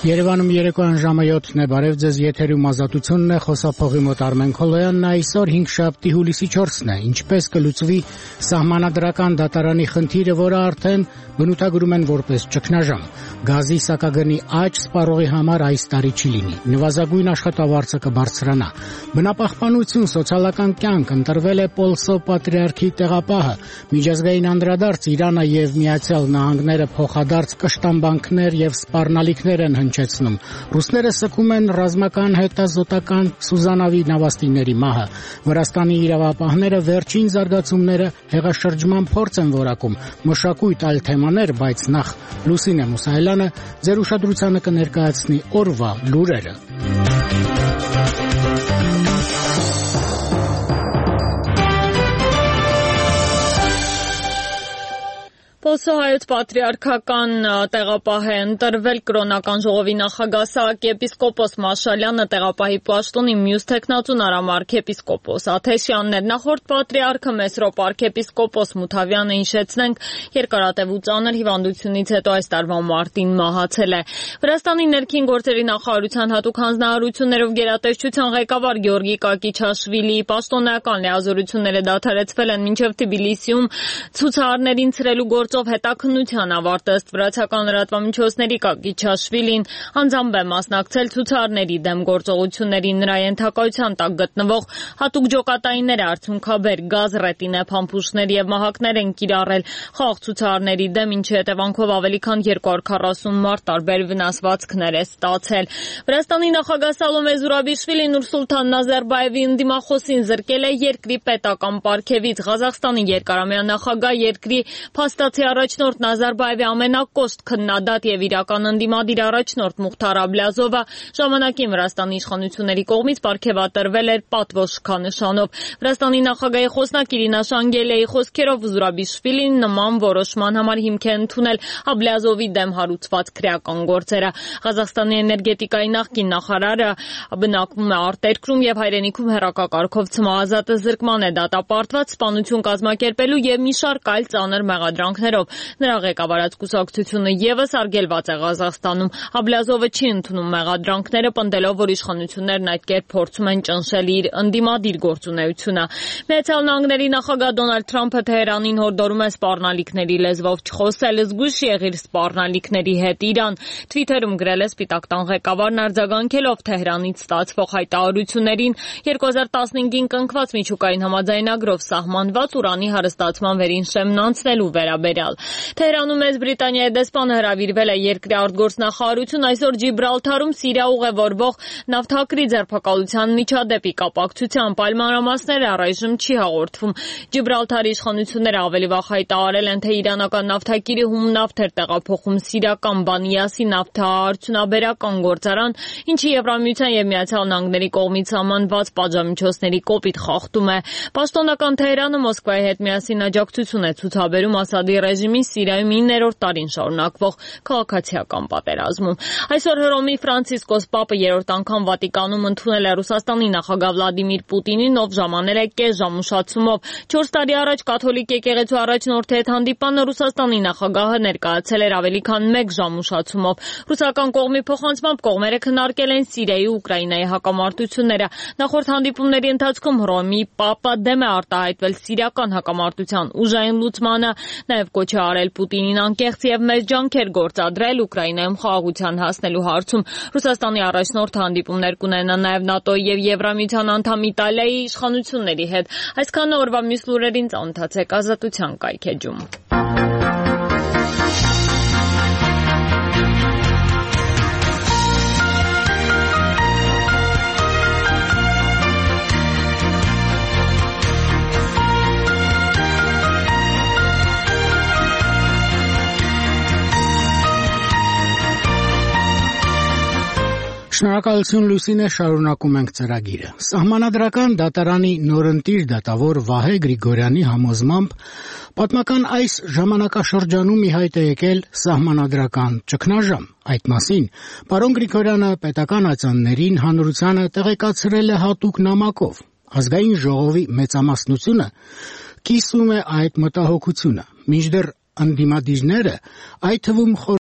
Երևանում երեկոյան ժամը 7-ն է, բարև ձեզ, եթերում Ազատությունն է, խոսափողի մոտ Արմեն Քոլոյանն է, այսօր 5-շաբթի հուլիսի 4-ն է, ինչպես կլուծվի սահմանադրական դատարանի խնդիրը, որը արդեն բնութագրում են որպես ճգնաժամ, գազի սակագնի աճ սպառողի համար այս տարի չի լինի, նվազագույն աշխատավարձը կբարձրանա, բնապահպանություն, սոցիալական կյանք, ընտրվել է Պոլսո պատրիարքի տեղապահը, միջազգային անդրադարձ, Իրանը եւ Միացյալ Նահանգները փոխադարձ կշտամբանքներ եւ սպառնալիքներ են հնչեցնում, ռուսները սգում են ռազմական հետազոտական Սուզանավի նավաստիների մահը, Վրաստանի իրավապահները վերջին զարգացումները հեղաշրջման փորձ են որակում, մշակույթ այլ թեմաներ, բայց նախ Լուսինե Մուսայելյանը ձեր ուշադրությանը կներկայացնի օրվա լուրերը։ Պոլսո հայոց պատրիարքական տեղապահ է ընտրվել կրոնական ժողովի նախագահ arczepiskopos Մաշալյանը տեղապահի պաշտոնի, մյուս թեկնածուն արքեպիսկոպոս Աթեշյանն էր, նախորդ պատրիարքը Մեսրոպ arczepiskopos Մութավյանը հիշեցնենք երկարատև ու ծանր հիվանդությունից հետո այս տարվա մարտին մահացել է։ Վրաստանի ներքին գործերի նախարարության հատուկ հանձնարարություններով գերատեսչության ղեկավար Գեորգի Կակիչաշվիլիի պաշտոնական լիազորությունները դադարեցվել են մինչև Թբիլիսիում ցուցարարներին ցրելու գործով հետաքննության ավարտը ըստ վրացական լրատվամիջոցների Կակիչաշվիլին անձամբ է մասնակցել ցուցարարների դեմ գործողություններին, նրա ենթակայության տակ գտնվող հատուկ ջոկատայինները արդյունքաբեր գազ, ռետինե, փամփուշտներ եւ մահակներ են կիրառել խաղաղ ցուցարարների դեմ, ինչի հետևանքով ավելի քան 240 մարդ տարբեր վնասվածքներ է ստացել։ Վրաստանի նախագահ Սալոմե Զուրաբիշվիլին Նուրսուլթան Նազարբաևի ընդդիմախոսին զրկել է երկրի պետական պարգևից։ Ղազախստանի երկարամյա նախագահ երկրի փաստացի առաջնորդ Նազարբաևի ամենակոշտ քննադատ եւ իրական ընդդիմադիր առաջնորդ Մուխթար Աբլյազովը ժամանակին Վրաստանի իշխանությունների կողմից պարգևատրվել էր պատվոշքանշանով։ Վրաստանի նախագահի խոսնակ Իրինա Շանգելեի խոսքերով Զուրաբիշվիլին նման որոշման համար հիմք է ընդունել Աբլյազովի դեմ հարուցված քրեական գործերը։ Ղազախստանի էներգետիկայի նախկին նախարարը բնակվում է արտերկրում եւ հայրենիքում հեռակակարգով ցմահազատ զրկման է դատապարտված սպանություն կազմակերպելու եւ մի շարք այլ ծանր մեղադրանքներով։ Նրա ղեկավարած կուսակցությունը եւս արգելված է Ղազախստանում։ Աբլյազովը չի ընդունում մեղադրանքները, պնդելով, որ իշխանություններն այդ կերպ փորձում են ճնշել իր ընդդիմադիր գործունեությունը։ Միացյալ Նահանգների նախագահ Դոնալդ Թրամփը Թեհրանին հորդորում է սպառնալիքների լեզվով չխոսել, զգույշ եղիր սպառնալիքների հետ։ Իրան Twitter-ում գրել է Սպիտակ տան ղեկավարն արձագանքելով Թեհրանից ստացվող հայտարարություններին 2015-ին կնքված միջուկային համաձայնագրով սահմանված ուրանի հարստացման վերին շեմն անցնելու վերաբերյալ։ Թեհրանում մեծ Բրիտանիայի դեսպանը հրավիրվել է երկրի արտգործնախարարություն այսօր Ջիբրալթարում Սիրիա ուղևորվող նավթակրի ձերբակալության միջադեպի կապակցությամբ պայմանամասները առայժմ չի հաղորդվում։ Ջիբրալթարի իշխանությունները ավելի վաղ հայտարարել են, թե իրանական նավթակիրի հում նավթ էր տեղափոխում սիրիական Բանիասի նավթարդյունաբերական գործարան, ինչի Եվրամիության եւ Միացյալ Նահանգների կողմից սահմանված պատժամիջոցների կոպիտ խախտում է։ Պաշտոնական Թեհրանը Մոսկվայի հետ միասին աջակցություն է ցուցաբերում Ասադի ռեժիմին Սիրիայում 9-րդ տարին շարունակվող քաղաքացիական պատերազմում։ Այսօր Հռոմի Ֆրանցիսկոս Պապը երրորդ անգամ Վատիկանում ընդունել է Ռուսաստանի նախագահ Վլադիմիր Պուտինին, ով ժամանել է կես ժամ ուշացումով։ 4 տարի առաջ կաթոլիկ եկեղեցու առաջնորդի հետ հանդիպանը Ռուսաստանի նախագահը ներկայացել էր ավելի քան 1 ժամ ուշացումով։ Ռուսական կողմի փոխանցմամբ կողմերը քննարկել են Սիրիայի ու Ուկրաինայի հակամարտությունները։ Նախորդ հանդիպումների ընթացքում Հռոմի Պապը դեմ է արտահայտվել սիրիական հակամարտության ուժային լուծմանը, նաև կոչ է արել Պուտինին անկեղծ եւ մեծ ջանքեր գործադրել Ուկրաինայում խաղաղության հասնելու հարցում։ Ռուսաստանի առաջնորդը հանդիպումներ կունենա նաև ՆԱՏՕ-ի եւ Եվրամիության անդամ Իտալիայի իշխանությունների հետ։ Այսքանը օրվա մյուս լուրերին ծանոթացեք Ազատության կայքեջում։ Շնորհակալություն Լուսինե, շարունակում ենք ծրագիրը։ Սահմանադրական դատարանի նորընտիր դատավոր Վահե Գրիգորյանի համոզմամբ պատմական այս ժամանակաշրջանում ի հայտ է եկել սահմանադրական ճգնաժամ։ Այդ մասին պարոն Գրիգորյանը պետական ատյաններին հանրությանը տեղեկացրել է հատուկ նամակով։ Ազգային ժողովի մեծամասնությունը կիսում է այդ մտահոգությունը, մինչդեռ ընդդիմադիրները, այդ թվում